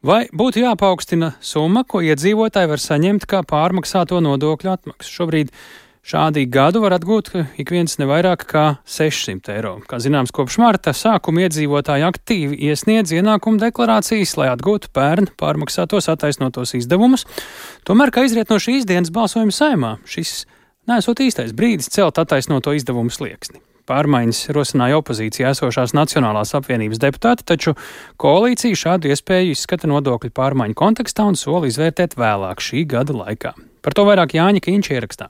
Vai būtu jāpaukstina summa, ko iedzīvotāji var saņemt kā pārmaksāto nodokļu atmaksu? Šobrīd šādi gadu var atgūt ik viens ne vairāk kā 600 eiro. Kā zināms, kopš marta sākuma iedzīvotāji aktīvi iesniedz ienākumu deklarācijas, lai atgūtu pērn pārmaksātos attaisnotos izdevumus. Tomēr, kā izriet no šīs dienas balsojuma Saeimā, šis nesot īstais brīdis celt attaisnoto izdevumu slieksni. Pārmaiņas rosināja opozīcijā esošās Nacionālās apvienības deputāti, taču koalīcija šādu iespēju izskata nodokļu pārmaiņu kontekstā un sola izvērtēt vēlāk šī gada laikā. Par to vairāk Jāņa Kīņš ierakstā.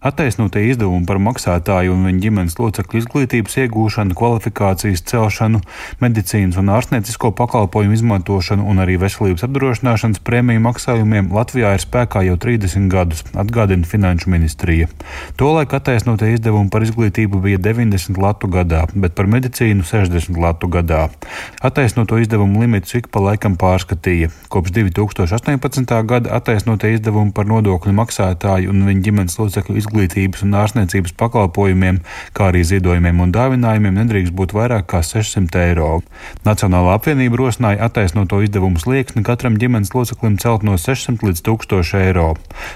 Attaisnotie izdevumi par maksātāju un viņa ģimenes locekļu izglītības iegūšanu, kvalifikācijas celšanu, medicīnas un ārstniecisko pakalpojumu izmantošanu un arī veselības apdrošināšanas prēmiju maksājumiem Latvijā ir spēkā jau 30 gadus, atgādina Finanšu ministrija. Tolaik attaisnotie izdevumi par izglītību bija 90 latu gadā, bet par medicīnu 60 latu gadā. Attaisnoto izdevumu limitus ik pa laikam pārskatīja. Kopš 2018. gada attaisnotie izdevumi par nodokļu maksātāju un viņa ģimenes locekļu izglītības un ārstniecības pakalpojumiem, kā arī ziedojumiem un dāvinājumiem nedrīkst būt vairāk kā 600 eiro. Nacionālā apvienība rosināja attaisnoto izdevumu slieksni katram ģimenes loceklim celt no 600 līdz 1000 eiro.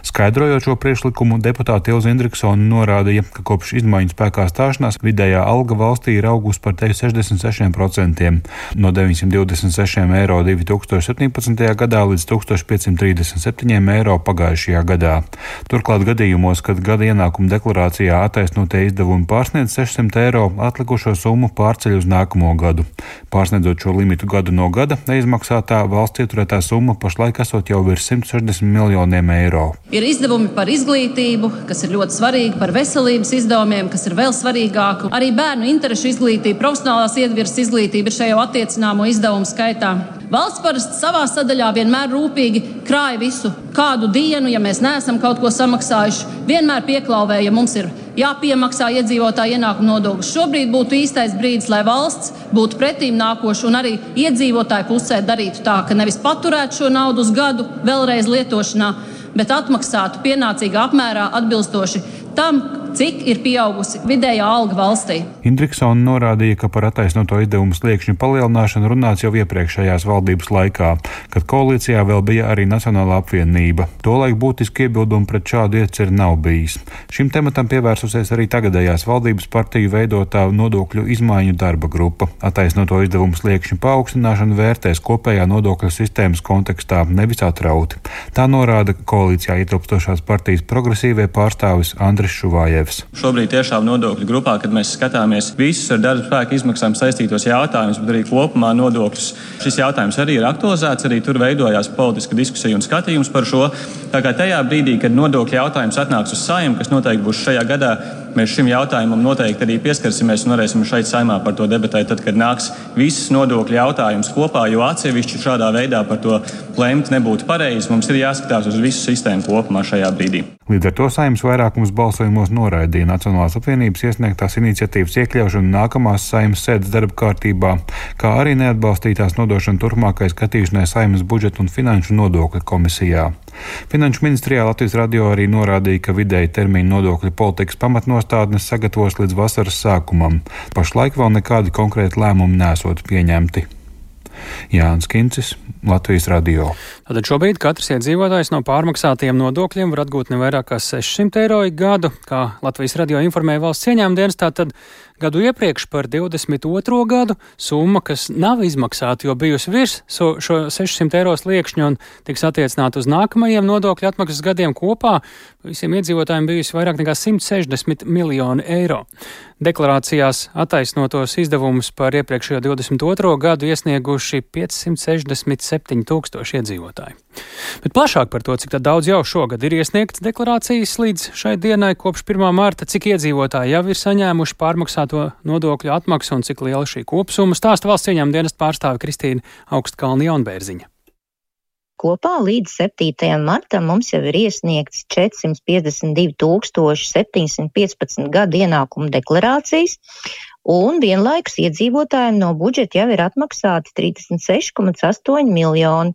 Skaidrojot šo priekšlikumu, deputāte Ilze Indriksone norādīja, ka kopš izmaiņu spēkā stāšanās vidējā alga valstī ir augusi par 66%, no 926 eiro 2017. gadā līdz 1537 eiro pagājušajā gadā. Turklāt gadījumos, kad gada ienākuma deklarācijā attaisnotie izdevumi pārsniedz 600 eiro, atlikušo summu pārceļ uz nākamo gadu. Pārsniedzot šo limitu gadu no gada, neizmaksātā valsts ieturētā summa pašlaik esot jau virs 160 miljoniem eiro. Ir izdevumi par izglītību, kas ir ļoti svarīgi, par veselības izdevumiem, kas ir vēl svarīgāk. Arī bērnu interešu izglītība, profesionālās iedvirzes izglītība ir šajā attiecināmo izdevumu skaitā. Valsts parasti savā sadaļā vienmēr rūpīgi krāja visu kādu dienu, ja mēs neesam kaut ko samaksājuši. Vienmēr pieklauvēja, ja mums ir jāpiemaksā iedzīvotāju ienākumu nodoklis. Šobrīd būtu īstais brīdis, lai valsts būtu pretīm nākoša un arī iedzīvotāju pusē darītu tā, ka nevis paturētu šo naudu uz gadu vēlreiz lietošanā, bet atmaksātu pienācīgā apmērā atbilstoši tam, cik ir pieaugusi vidējā alga valstī. Indriksone norādīja, ka par attaisnoto izdevumu sliekšņu palielināšanu runāts jau iepriekšējās valdības laikā, kad koalīcijā vēl bija arī Nacionālā apvienība. Tolaik būtiski iebildumi pret šādu ieceri nav bijis. Šim tematam pievērsusies arī tagadējās valdības partiju veidotā nodokļu izmaiņu darba grupa. Attaisnoto izdevumu sliekšņu paaugstināšanu vērtēs kopējā nodokļu sistēmas kontekstā, nevis atrauti. Tā norāda koalīcijā ietilpstošās partijas progresīvie pārstāvis Andris Šuvājevs. Šobrīd tiešām nodokļu grupā, kad mēs skatāmies visus ar darba spēka izmaksām saistītos jautājumus, bet arī kopumā nodokļus, šis jautājums arī ir aktualizēts, arī tur veidojās politiska diskusija un skatījums par šo. Tā kā tajā brīdī, kad nodokļu jautājums atnāks uz Saeimu, kas noteikti būs šajā gadā, mēs šim jautājumam noteikti arī pieskarsimies un varēsim šeit Saeimā par to debatēt, tad, kad nāks visas nodokļu jautājums kopā, jo atsevišķi šādā veidā par to lemt nebūtu pareizi. Mums ir jāskatās uz visu sistēmu kopumā šajā brīdī. Līdz ar to Saeimas vairākums balsojumos noraidīja Nacionālās apvienības iesniegtās iniciatīvas iekļaušanu nākamās Saeimas sēdes darba kārtībā, kā arī neatbalstītās nodošanu turpmākai skatīšanai Saeimas budžeta un finanšu nodokļu komisijā. Finanšu ministrijā Latvijas radio arī norādīja, ka vidēji termiņu nodokļu politikas pamatnostādnes sagatavos līdz vasaras sākumam. Pašlaik vēl nekādi konkrēti lēmumi nesot pieņemti. Jānis Kincis, Latvijas radio. Tātad šobrīd katrs iedzīvotājs no pārmaksātiem nodokļiem var atgūt ne vairāk kā 600 eiro ik gadu, kā Latvijas radio informēja valsts ieņēmuma dienestā, tad gadu iepriekš par 22. gadu summa, kas nav izmaksāta, jo bijusi virs šo 600 eiro sliekšņu un tiks attiecināta uz nākamajiem nodokļu atmaksas gadiem kopā, visiem iedzīvotājiem bijusi vairāk nekā 160 miljoni eiro. Deklarācijās attaisnotos izdevumus par iepriekšējo 22. gadu iesnieguši 567 tūkstoši iedzīvotāji. Bet plašāk par to, cik daudz jau šogad ir iesniegts deklarācijas līdz šai dienai kopš 1. marta, cik iedzīvotāji jau ir saņēmuši pārmaksāto nodokļu atmaksu un cik liela šī kopsumma, stāsta valsts ieņēmuma dienesta pārstāve Kristīna Augstkalne Jaunbērziņa. Kopā līdz 7. martam mums jau ir iesniegts 452 715 gadu ienākumu deklarācijas, un vienlaikus iedzīvotājiem no budžeta jau ir atmaksāti 36,8 miljoni.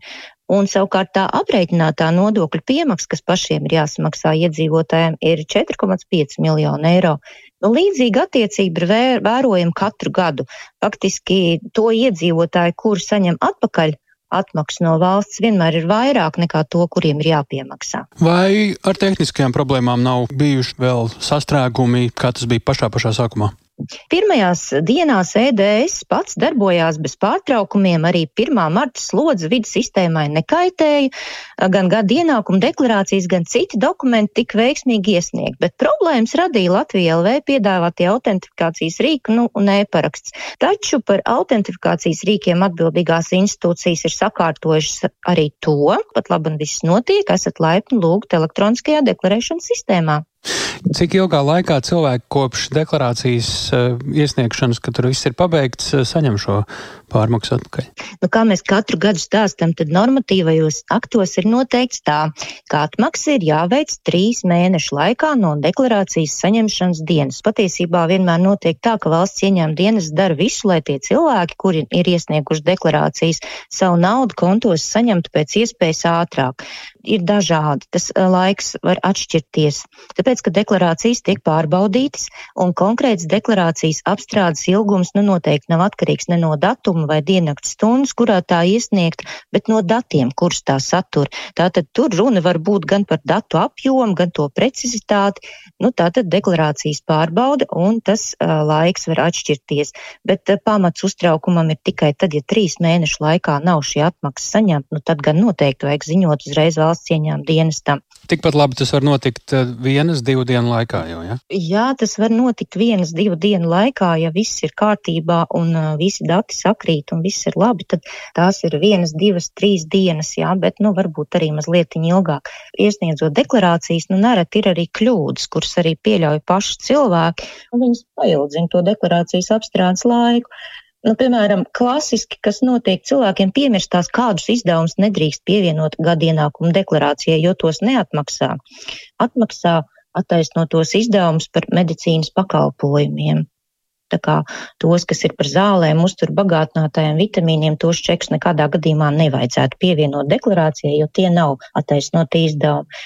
Un savukārt tā aprēķinātā nodokļu piemaksa, kas pašiem ir jāsamaksā iedzīvotājiem, ir 4,5 miljonu eiro. Līdzīga attiecība ir vērojama katru gadu. Faktiski to iedzīvotāju, kuri saņem atpakaļ atmaksu no valsts vienmēr ir vairāk nekā to, kuriem ir jāpiemaksā. Vai ar tehniskajām problēmām nav bijuši vēl sastrēgumi, kā tas bija pašā sākumā? Pirmajās dienās EDS pats darbojās bez pārtraukumiem, arī 1. marta slodze vidas sistēmai nekaitēja, gan gada ienākuma deklarācijas, gan citi dokumenti tika veiksmīgi iesniegt, bet problēmas radīja Latvija LV piedāvātie autentifikācijas rīki un e-paraksts. Taču par autentifikācijas rīkiem atbildīgās institūcijas ir sakārtojušas arī to, pat labi un viss notiek, esat laipni lūgt elektroniskajā deklarēšanas sistēmā. Cik ilgā laikā cilvēki kopš deklarācijas iesniegšanas, kad tur viss ir pabeigts, saņem šo pārmaksu atpakaļ? Kā mēs katru gadu stāstam, tad normatīvajos aktos ir noteikts tā, ka atmaksa ir jāveic 3 mēnešu laikā no deklarācijas saņemšanas dienas. Patiesībā vienmēr notiek tā, ka valsts ieņēmuma dienas dara visu, lai tie cilvēki, kuri ir iesnieguši deklarācijas, savu naudu kontos saņemtu pēc iespējas ātrāk. Ir dažādi, tas laiks var atšķirties, tāpēc, ka deklarācijas tiek pārbaudītas un konkrēts deklarācijas apstrādes ilgums noteikti nav atkarīgs ne no datuma vai diennakts stundas, kurā tā iesniegt, bet no datiem, kurus tā satur. Tātad tur runa var būt gan par datu apjomu, gan to precizitāti, tātad deklarācijas pārbauda un tas laiks var atšķirties, bet pamats uztraukumam ir tikai tad, ja 3 mēnešu laikā nav šī atmaksa saņemta, tad gan noteikti vajag ziņot uzreiz valsts ieņēmuma dienestam. Tikpat labi tas var notikt 1-2 dienu laikā jau, ja? Jā, tas var notikt 1-2 dienu laikā, ja viss ir kārtībā un visi dati sakrīt un viss ir labi, tad tās ir 1, 2, 3 dienas, jā, bet varbūt arī mazliet ilgāk. Iesniedzot deklarācijas, nereti ir arī kļūdas, kuras arī pieļauj paši cilvēki, un viņas paildzina to deklarācijas apstrādes laiku. Piemēram, klasiski, kas notiek, cilvēkiem piemirstās, kādus izdevumus nedrīkst pievienot gada ienākuma deklarācijai, jo tos neatmaksā. Atmaksā attaisnotos izdevumus par medicīnas pakalpojumiem. Tā kā tos, kas ir par zālēm, uzturbagātinātājiem, vitamīniem, tos čekus nekādā gadījumā nevajadzētu pievienot deklarācijai, jo tie nav attaisnoti izdevumi.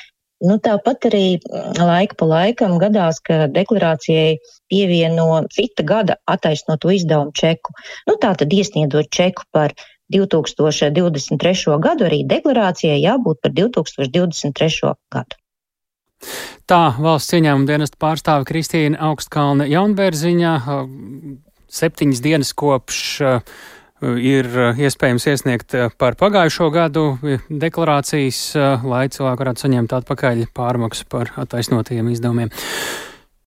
Tāpat arī laika pa laikam gadās, ka deklarācijai pievieno cita gada attaisnoto izdevumu čeku. Tātad iesniedzot čeku par 2023. gadu, arī deklarācijai jābūt par 2023. gadu. Tā valsts ieņēmuma dienesta pārstāve Kristīna Augstkalne Jaunbērziņa 7 dienas kopš ir iespējams iesniegt par pagājušo gadu deklarācijas, lai cilvēki varētu saņemt atpakaļ pārmaksu par attaisnotajiem izdevumiem.